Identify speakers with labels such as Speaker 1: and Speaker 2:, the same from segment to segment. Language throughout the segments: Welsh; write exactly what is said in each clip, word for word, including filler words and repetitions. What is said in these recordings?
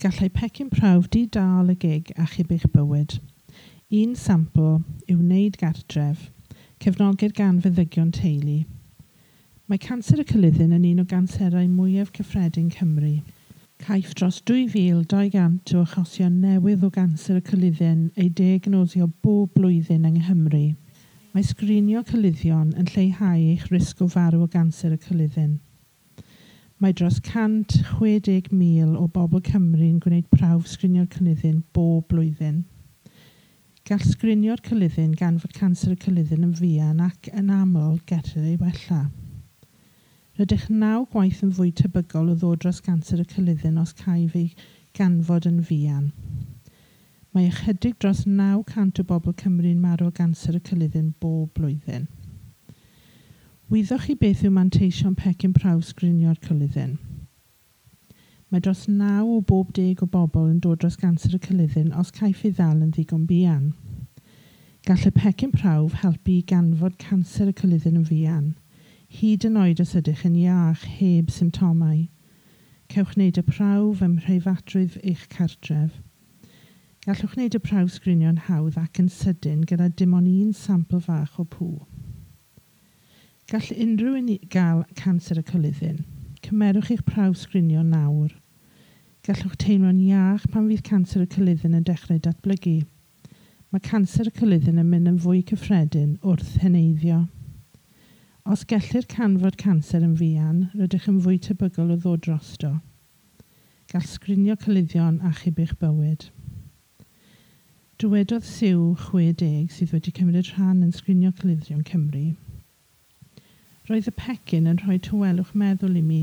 Speaker 1: Gallai pecyn prawf di-dâl y gig achub eich bywyd. Un sampl i'w wneud gartref, cefnogir gan feddygion teulu. Mae canser y coluddyn yn un o ganserau mwyaf cyffredin Cymru. Caiff dros dwy fil dau gant o achosion newydd o ganser y coluddyn eu diagnosio bob blwyddyn yng Nghymru. Mae sgrinio coluddion yn lleihau eich risg o farw o ganser y coluddyn. Mae dros cant chwe deg mil o bobl Cymru'n gwneud prawf sgrinio'r coluddyn bob blwyddyn. Gall sgrinio'r coluddyn ganfod canser y coluddyn yn fuan ac yn aml gellir ei wella. Rydych naw gwaith yn fwy tebygol o ddod dros ganser y coluddyn os caiff ei ganfod yn fuan. Mae ychydig dros naw cant o bobl Cymru'n marw o ganser y coluddyn bob blwyddyn. Wyddoch chi beth yw manteision pecyn prawf sgrinio'r coluddyn? Mae dros naw o bob deg o bobl yn dod dros ganser y coluddyn os caiff ei ddal yn ddigon buan. Gall y pecyn prawf helpu i ganfod canser y coluddyn yn fuan, hyd yn oed os ydych yn iach heb symptomau. Cewch wneud y prawf ym mhreifatrwydd eich cartref. Gallwch wneud y prawf sgrinio'n hawdd ac yn sydyn gyda dim ond un sampl fach o pŵ. Gall unrhyw un gael canser y coluddyn. Cymerwch eich prawf sgrinio nawr. Gallwch teimlo'n iach pan fydd canser y coluddyn yn dechrau datblygu. Mae canser y coluddyn yn mynd yn fwy cyffredin wrth heneiddio. Os gellir canfod canser yn fuan, rydych yn fwy tebygol o ddod drosto. Gall sgrinio coluddion achub eich bywyd. Dywedodd Sue chwe deg sydd wedi cymryd rhan yn sgrinio coluddion Cymru. Roedd y pecyn yn rhoi tawelwch meddwl i mi.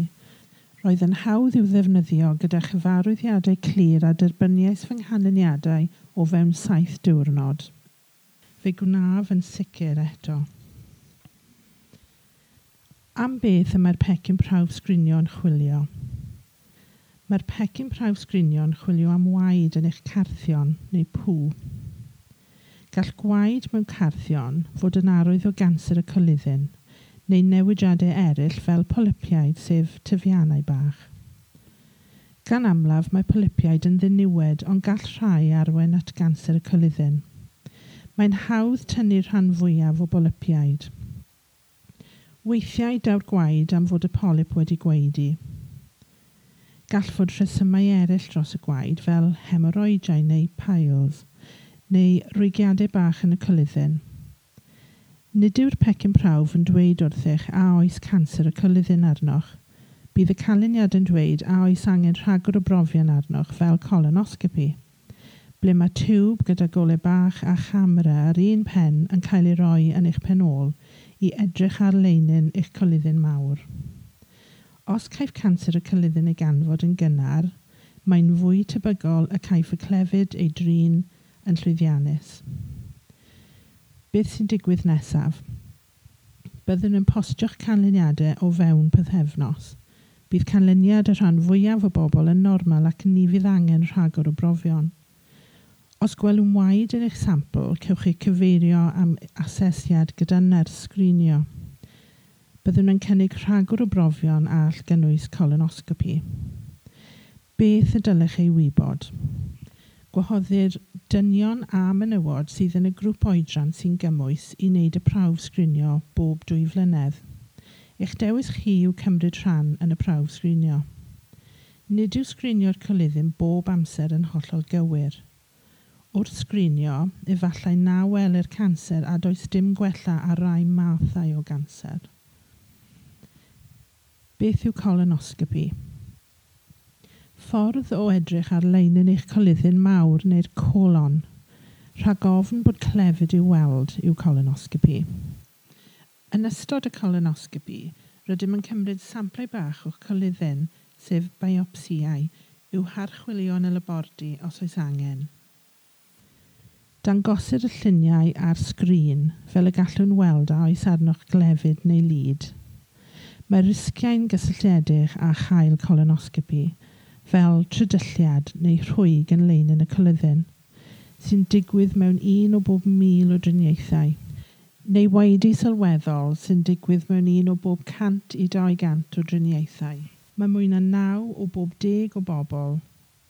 Speaker 1: Roedd yn hawdd i'w ddefnyddio gyda chyfarwyddiadau clir a derbyniais fy nghanlyniadau o fewn saith diwrnod. Fe gwnaf yn sicr eto. Am beth y mae'r pecyn prawf sgrinio yn chwilio? Mae'r pecyn prawf sgrinio yn chwilio am waed yn eich carthion neu pŵ. Gall gwaed mewn carthion fod yn arwydd o ganser y coluddyn, neu newidiadau eraill fel polypiaid, sef tyfiannau bach. Gan amlaf mae polypiaid yn ddiniwed, ond gall rhai arwain at ganser y coluddyn. Mae'n hawdd tynnu'r rhan fwyaf o bolypiaid. Weithiau daw'r gwaed am fod y polyp wedi gwaedu. Gall fod rhesymau eraill dros y gwaed fel hemorrhoidiau neu piles, neu rwygiadau bach yn y coluddyn. Nid yw'r pecyn prawf yn dweud wrthych a oes canser y coluddyn arnoch. Bydd y canlyniad yn dweud a oes angen rhagor o brofion arnoch fel colonoscopi, ble mae tiwb gyda golau bach a chamera ar un pen yn cael ei roi yn eich pen ôl i edrych ar leinin eich coluddyn mawr. Os caiff canser y coluddyn ei ganfod yn gynnar, mae'n fwy tebygol y caiff y clefyd ei drin yn llwyddiannus. Beth sy'n digwydd nesaf? Byddwn yn postio'ch canlyniadau o fewn pythefnos. Bydd canlyniad y rhan fwyaf o bobl yn normal ac ni fydd angen rhagor o brofion. Os gwelwn waed yn eich sampl, cewch eich cyfeirio am asesiad gyda nyrs sgrinio. Byddwn yn cynnig rhagor o brofion a all gynnwys colonoscopi. Beth y dylech ei wybod? Gwahoddir dynion a menywod sydd yn y grŵp oedran sy'n gymwys i wneud y prawf sgrinio bob dwy flynedd. Eich dewis chi yw cymryd rhan yn y prawf sgrinio. Nid yw sgrinio'r coluddyn bob amser yn hollol gywir. Wrth sgrinio, efallai na welir canser a does dim gwella ar rai mathau o ganser. Beth yw colonoscopi? Ffordd o edrych ar leinin eich coluddyn mawr neu'r colon, rhag ofn bod clefyd i'w weld yw colonoscopi. Yn ystod y colonoscopi, rydym yn cymryd samplau bach o'ch coluddyn, sef biopsiau, i'w harchwilio yn y labordy os oes angen. Dangosir y lluniau ar sgrin fel y gallwn weld a oes arnoch glefyd neu lid. Mae risgiau'n gysylltiedig â chael colonoscopi, fel trydylliad neu rhwyg yn leinin y coluddyn, sy'n digwydd mewn un o bob mil o driniaethau, neu waedu sylweddol sy'n digwydd mewn un o bob cant i dau gant o driniaethau. Mae mwy na naw o bob deg o bobl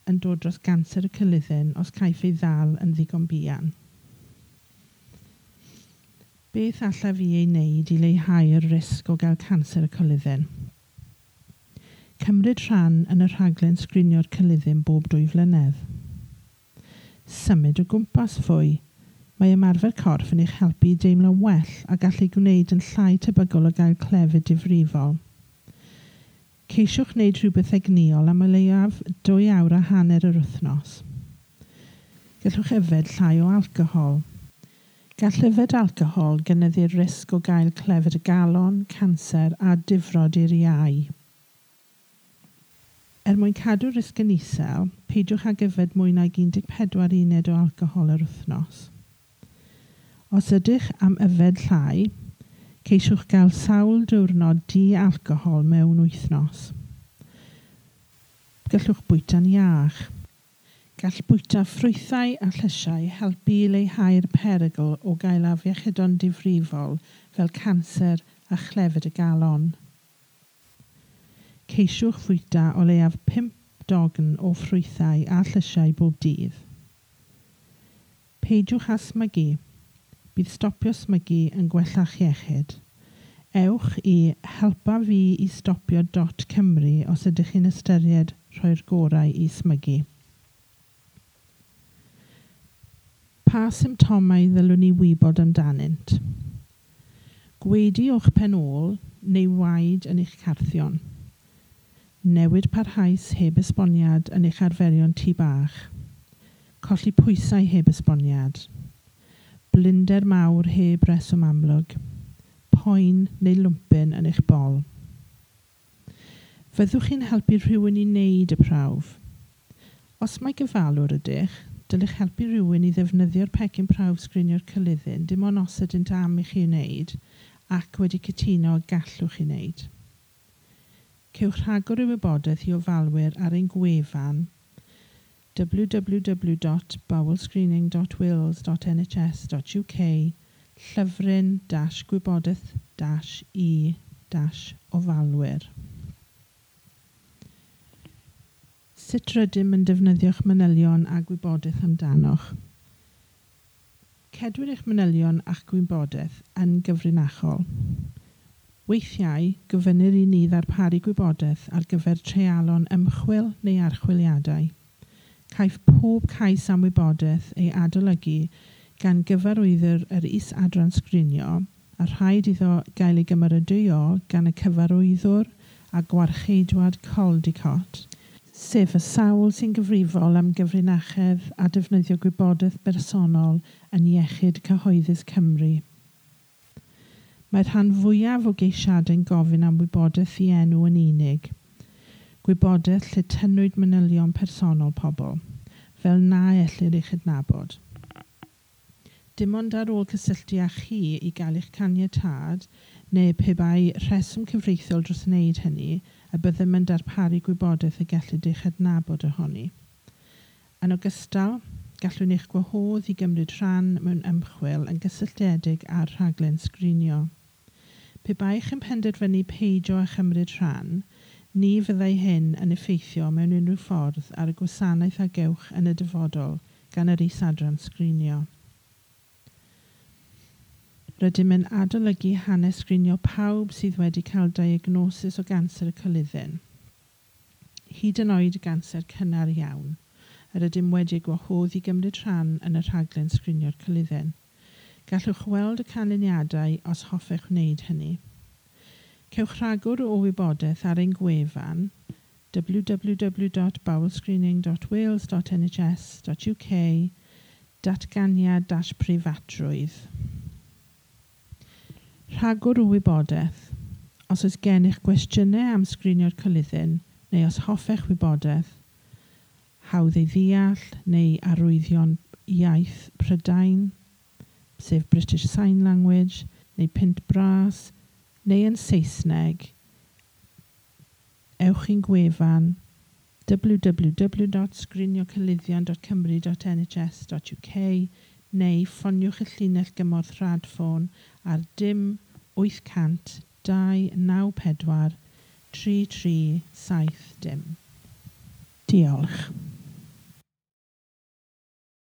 Speaker 1: yn dod dros ganser y coluddyn os caiff ei ddal yn ddigon buan. Beth allaf i ei wneud i leihau'r risg o gael canser y coluddyn? Cymryd rhan yn y rhaglen sgrinio'r coluddyn bob dwy flynedd. Symud o gwmpas fwy. Mae ymarfer corff yn eich helpu i deimlo'n well a gallu gwneud yn llai tebygol o gael clefyd difrifol. Ceisiwch wneud rhywbeth egnïol am o leiaf dwy awr a hanner yr wythnos. Gallwch yfed llai o alcohol. Gall yfed alcohol gynyddu'r risg o gael clefyd y galon, canser a difrod i'r iau. Er mwyn cadw'r risg yn isel, peidiwch ag yfed mwy nag un deg pedwar uned o alcohol yr wythnos. Os ydych am yfed llai, ceisiwch gael sawl diwrnod di-alcohol mewn wythnos. Gallwch bwyta'n iach. Gall bwyta ffrwythau a llysiau helpu i leihau'r perygl o gael afiechydon difrifol fel canser a chlefyd y galon. Ceisiwch fwyta o leiaf pump dogn o ffrwythau a llysiau bob dydd. Peidiwch â smygu. Bydd stopio smygu yn gwella'ch iechyd. Ewch i helpa fi i stopio dot Cymru os ydych chi'n ystyried rhoi'r gorau i smygu. Pa symptomau ddylwn ni wybod amdanynt? Gwaedu o'ch pen ôl neu waed yn eich carthion. Newid parhaus heb esboniad yn eich arferion tŷ bach. Colli pwysau heb esboniad. Blinder mawr heb reswm amlwg. Poen neu lwmpyn yn eich bol. Fyddwch chi'n helpu rhywun i wneud y prawf? Os mai gofalwr ydych, dylech helpu rhywun i ddefnyddio'r pecyn prawf sgrinio'r coluddyn dim ond os ydynt am i chi wneud ac wedi cytuno gallwch chi wneud. Cewch rhagor o wybodaeth i ofalwyr ar ein gwefan w w w dot bowel screening dot wales dot n h s dot u k llyfryn dash gwybodaeth dash i dash ofalwyr. Sut rydym yn defnyddio'ch manylion a gwybodaeth amdanoch? Cedwir eich manylion a'ch gwybodaeth yn gyfrinachol. Weithiau, gofynnir i ni ddarparu gwybodaeth ar gyfer treialon ymchwil neu archwiliadau. Caiff pob cais am wybodaeth ei adolygu gan gyfarwyddwr yr is-adran sgrinio a rhaid iddo gael ei gymeradwyo gan y cyfarwyddwr a gwarcheidwad Caldicott, sef y sawl sy'n gyfrifol am gyfrinachedd a defnyddio gwybodaeth bersonol yn Iechyd Cyhoeddus Cymru. Mae'r rhan fwyaf o geisiadau'n gofyn am wybodaeth i enw yn unig, gwybodaeth lle tynnwyd manylion personol pobl, fel na ellir ei chydnabod. Dim ond ar ôl cysylltu â chi i gael eich caniatâd, neu pe bai rheswm cyfreithiol dros wneud hynny, y byddem yn darparu gwybodaeth y gellid ei chydnabod ohoni. Yn ogystal, gallwn eich gwahodd i gymryd rhan mewn ymchwil yn gysylltiedig â'r rhaglen sgrinio. Pe baech yn penderfynu peidio â chymryd rhan, ni fyddai hyn yn effeithio mewn unrhyw ffordd ar y gwasanaeth a gewch yn y dyfodol gan yr is-adran sgrinio. Rydym yn adolygu hanes sgrinio pawb sydd wedi cael diagnosis o ganser y coluddyn, hyd yn oed ganser cynnar iawn, yr ydym wedi gwahodd i gymryd rhan yn y rhaglen sgrinio'r coluddyn. Gallwch weld y canlyniadau os hoffech wneud hynny. Cewch rhagor o wybodaeth ar ein gwefan w w w dot bowel screening dot wales dot n h s dot u k datganiad dash preifatrwydd. Rhagor o wybodaeth. Os oes gennych gwestiynau am sgrinio'r coluddyn neu os hoffech wybodaeth, hawdd ei ddeall neu arwyddion iaith Prydain, sef British Sign Language, neu Pint Bras, neu yn Saesneg, ewch i'n gwefan w w w dot sgrinio coluddion dot cymru dot n h s dot u k neu ffoniwch y llinell gymorth rhadffôn ar dim wyth cant dau naw pedwar tri tri saith dim. Diolch.